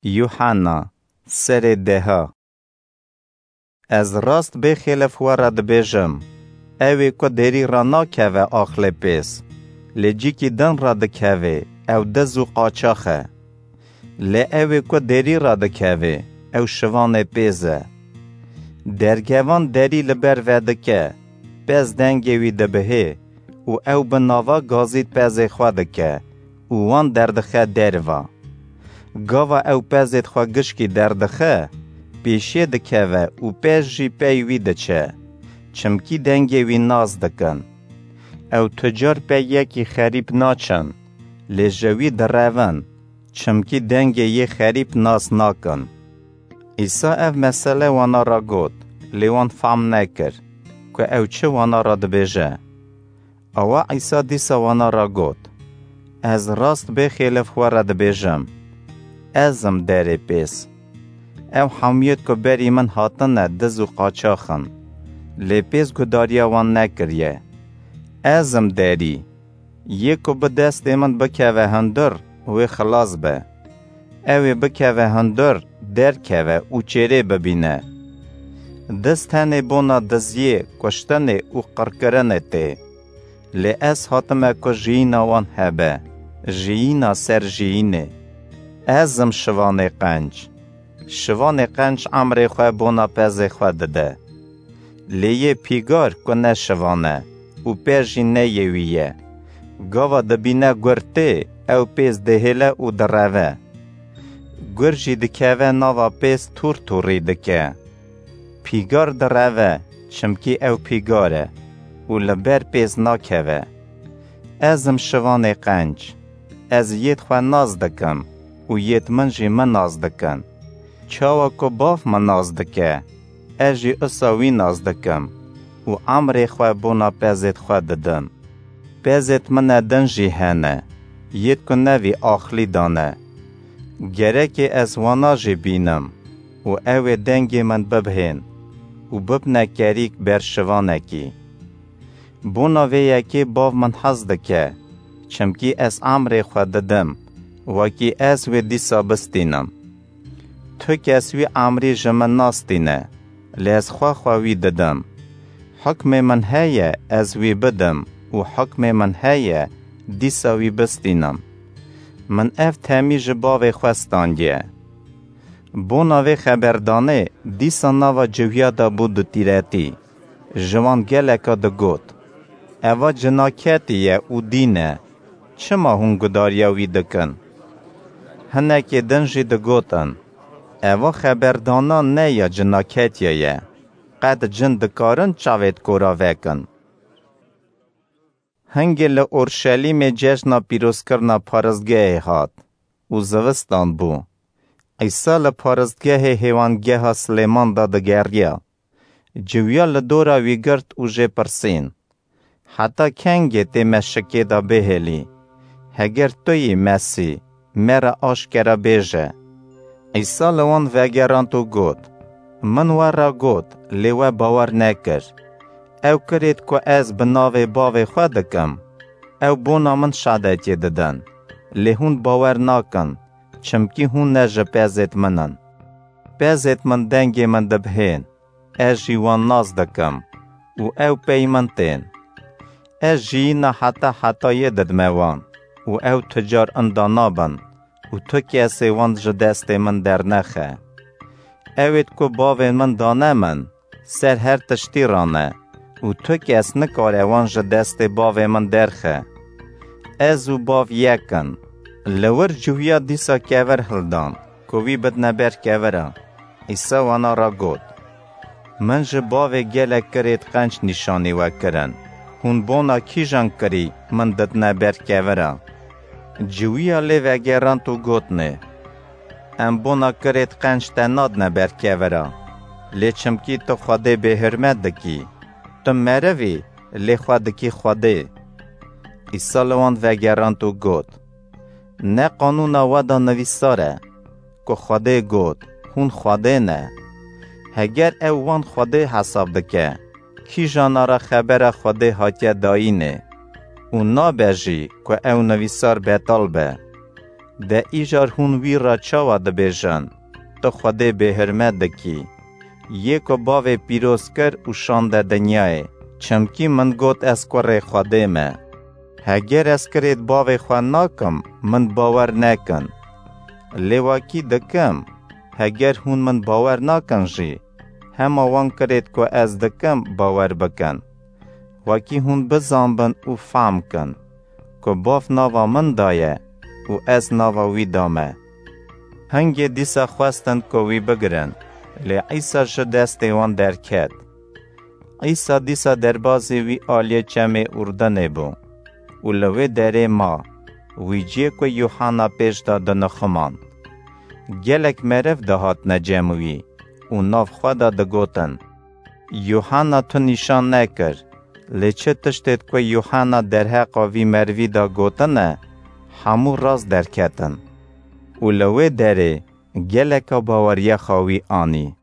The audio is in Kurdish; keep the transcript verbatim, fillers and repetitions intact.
Yuhanna, serê deha. Ez rast bêxêlif we re dibêjim, ewê ku derî re nakeve axlê pêz, lê cîkî din re dikeve, ew diz û qaçax e. Lê ewê ku derî re dikeve, ew şivanê pêz e. Dergevan derî li ber vedike, pez dengê wî dibihê û ew bi nava gazî pezê xwe dike û wan derdixe derva. Gava ew pezêd xwe gişkî derdixe, pêşiyê dikeve û pez jî pey wî diçe, çimkî dengê wî nas dikin. Ew tu car pey yekî xerîb naçin, lê ji wî direvin, çimkî dengê yê xerîb nas nakin. Îsa ev mesele wana re got, lê wan fam nekir ku ew çi wana re dibêje. Awa Îsa dîsa wana re got, Ez rast bêxêlif we re dibêjim, ez im derê pêz. Ew hemûyêd ku berî min hatine diz û qaçax in, lê pêz gudariya wan nekiriye. Ez im derî. Yê ku bi destê min bikeve hundir, wê xilas be. Ew ê bikeve hundir, derkeve û çêrê bibîne. Diz tenê bona diziyê, kuştinê û qirkirinê tê. Lê ez hatime ku jiyîna wan hebe, jiyîna ser jiyînê. Ez im şivanê qenc. Şivanê qenc emrê xwe bona pezê xwe dide. Lê yê pîgar ku ne şivan e û pez jî ne yê wî ye, gava dibîne gur tê, ew pêz dihêle û direve. Gur jî dikeve nava pêz tûr tûrî dike. Pîgar direve, çimkî ew pîgar e û li ber pêz nakeve. Ez im şivanê qenc. Ez yêd xwe nas dikim û yêd min jî min nas dikin. Çawa ku Bav min nas dike, ez jî usa wî nas dikim û emrê xwe bona pezêd xwe didim. Pezêd min e din jî hene, yêd ku ne vî axlî dane. Gerekê ez wana jî bînim û ew ê dengê min bibhên û bibne kerîk ber şivanekî. Bona vê yekê Bav min hez dike, çimkî ez emrê xwe didim, wekî ez wê dîsa bistînim. Tu kes wî emrî ji min nastîne, lê ez xwe xwe wî didim. Hukmê min heye ez wî bidim û hukmê min heye dîsa wî bistînim. Min ev temî ji Bavê xwe standiye. Bona vê xeberdanê dîsa nava ciwiya de bû dutîretî. Ji wan geleka digot, Eva cinaketî ye û dîn e. Çima hûn gudariya wî dikin? Hinekê din jî digotin, Eva xeberdana ne ya cinaketiye ye. Qet cin dikarin çavêd kora vekin? Hingê li Orşelîmê cejna pîrozkirina paristgehê hat û zivistan bû. Îsa li paristgehê hêwangeha Silêman de digeriya. Ciwiya li dora wî girt û jê pirsîn, Heta kengê tê me şikê de bihêlî? Heger tu yî Mesîh, me re aşkere bêje. Îsa li wan vegerand û got, Min we re got, lê we bawer nekir. Ew kirêt ku ez bi navê Bavê xwe dikim, ew bona min şadetiyê didin. Lê hûn bawer nakin, çimkî hûn ne ji pezêt min in. Pezêt min dengê min dibihên, ez jî wan nas dikim û ew pey min tên. Ez jiyîna heta hetayê didime wan û ew tu car inda nabin û tu kesê wan ji destê min dernexe. Ewêd ku Bavê min dane min, ser her tiştî re ne û tu kes nikare wan ji destê Bavê min derxe. Ez û Bav yek in. Li wir ciwiya dîsa kevir hildan ku wî bidine ber kevira. Îsa wana re got, Min ji Bavê gelek kirêt qenc nîşanî we kirin. Hûn bona kîjan kirî min didine ber kevira? Ciwiya lê vegerand û gotnê, Em bona kirêt qenc te nadine ber kevira, lê çimkî tu Xwedê bêhurmet dikî. Tu meriv î, lê xwe dikî Xwedê. Îsa li wan vegerand û got, Ne qanûna we de nivîsar e, ku Xwedê got, Hûn xwedê ne. Heger ew wan xwedê hesab dike, kîjana re xebera Xwedê hatiye dayînê û nabe jî ku ew nivîsar betal be. De îcar hûn wî re çawa dibêjin, tu Xwedê bêhurmet dikî? Yê ku bavê pîroz kir û şande dinyayê, çimkî min got ez kurê Xwedê me. Heger ez kirêt bavê xwe nakim, min bawer nekin. Lê wekî dikim, heger hûn min bawer nakin jî, hema wan kirêt ku ez dikim bawer bikin. Wekî hûn bizanbin û fehm kin, ku bav nava min da ye û ez nava wî da me. Hingê dîsa xwestin ku wî bigirin, lê Îsa ji destê wan derket. Îsa dîsa derbazî wî aliyê çemê Urdinê bû û li wê derê ma, wî ciyê ku Yuhanna pêş de dinixumand. Gelek meriv dihatine cem wî û nav xwe de digotin, Yuhanna tu nîşan nekir, lê çi tiştêt ku Yuhanna derheqa vî merivî de gotine, hemû rast derketin. Û li wê derê geleka baweriya xwe wî anî.